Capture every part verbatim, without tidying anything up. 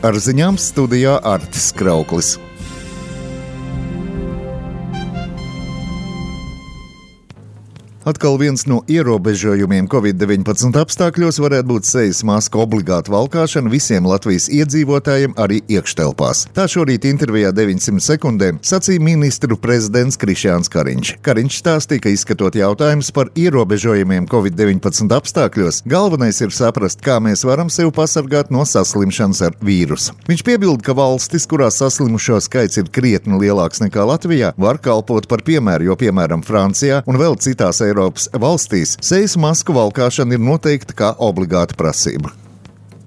Ar ziņām studijā Artis Krauklis. Atkal viens no ierobežojumiem covid deviņpadsmit apstākļos varētu būt sejas masku obligāta valkāšana visiem Latvijas iedzīvotājiem arī iekštelpās. Tā šorīt intervijā deviņsimt sekundēm sacīja ministru prezidents Krišjāns Kariņš. Kariņš stāstīja, ka izskatot jautājumus par ierobežojumiem covid deviņpadsmit apstākļos, galvenais ir saprast, kā mēs varam sevi pasargāt no saslimšanas ar vīrusu. Viņš piebilda, ka valstis, kurās saslimušo skaits ir krietni lielāks nekā Latvijā, var kalpot par piemēru, jo, piemēram, Francijā un vēl citās Eiropas valstīs sejas masku valkāšana ir noteikta kā obligāta prasība.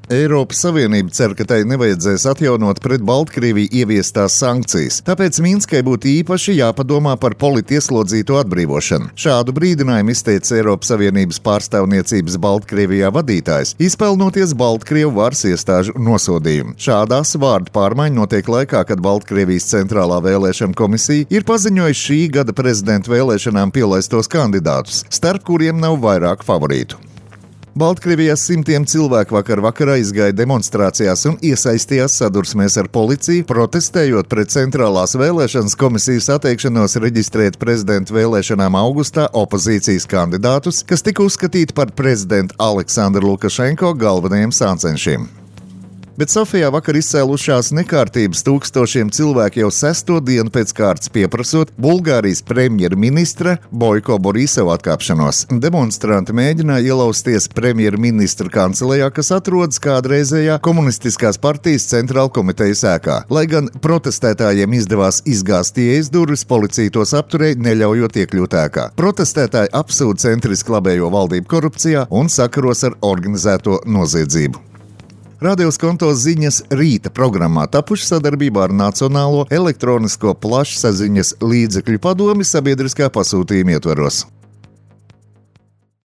Eiropas Savienība cer, ka tai nevajadzēs atjaunot pret Baltkrieviju ieviestās sankcijas, tāpēc Minskai būtu īpaši jāpadomā par politieslodzīto atbrīvošanu. Šādu brīdinājumu izteica Eiropas Savienības pārstāvniecības Baltkrievijā vadītājs, izpelnoties Baltkrievu varas iestāžu nosodījumu. Šādās vārdu pārmaiņa notiek laikā, kad Baltkrievijas centrālā vēlēšana komisija ir paziņojusi šī gada prezidenta vēlēšanām pielaistos kandidātus, starp kuriem nav vairāk favorītu. Baltkrievijā simtiem cilvēku vakar vakarā izgāja demonstrācijās un iesaistījās sadursmēs ar policiju, protestējot pret centrālās vēlēšanas komisijas atteikšanos reģistrēt prezidenta vēlēšanām augustā opozīcijas kandidātus, kas tika uzskatīti par prezidenta Aleksandra Lukašenko galvenajiem sācenšiem. Bet Sofijā vakar izcēlušās nekārtības tūkstošiem cilvēku jau sesto dienu pēc kārtas pieprasot Bulgārijas premjerministra Boiko Borisovu atkāpšanos. Demonstranti mēģināja ielausties premjerministra kancelejā, kas atrodas kādreizējā komunistiskās partijas centrāla komitejas ēkā. Lai gan protestētājiem izdevās izgāzt ieejas durvis, policija tos apturēja, neļaujot iekļūt ēkā. Protestētāji apsūdz centriski labējo valdību korupcijā un sakaros ar organizēto noziedzību. Radio Skonto ziņas rīta programmā tapuši sadarbībā ar Nacionālo elektronisko plašsaziņas līdzekļu padomi sabiedriskā pasūtījuma ietvaros.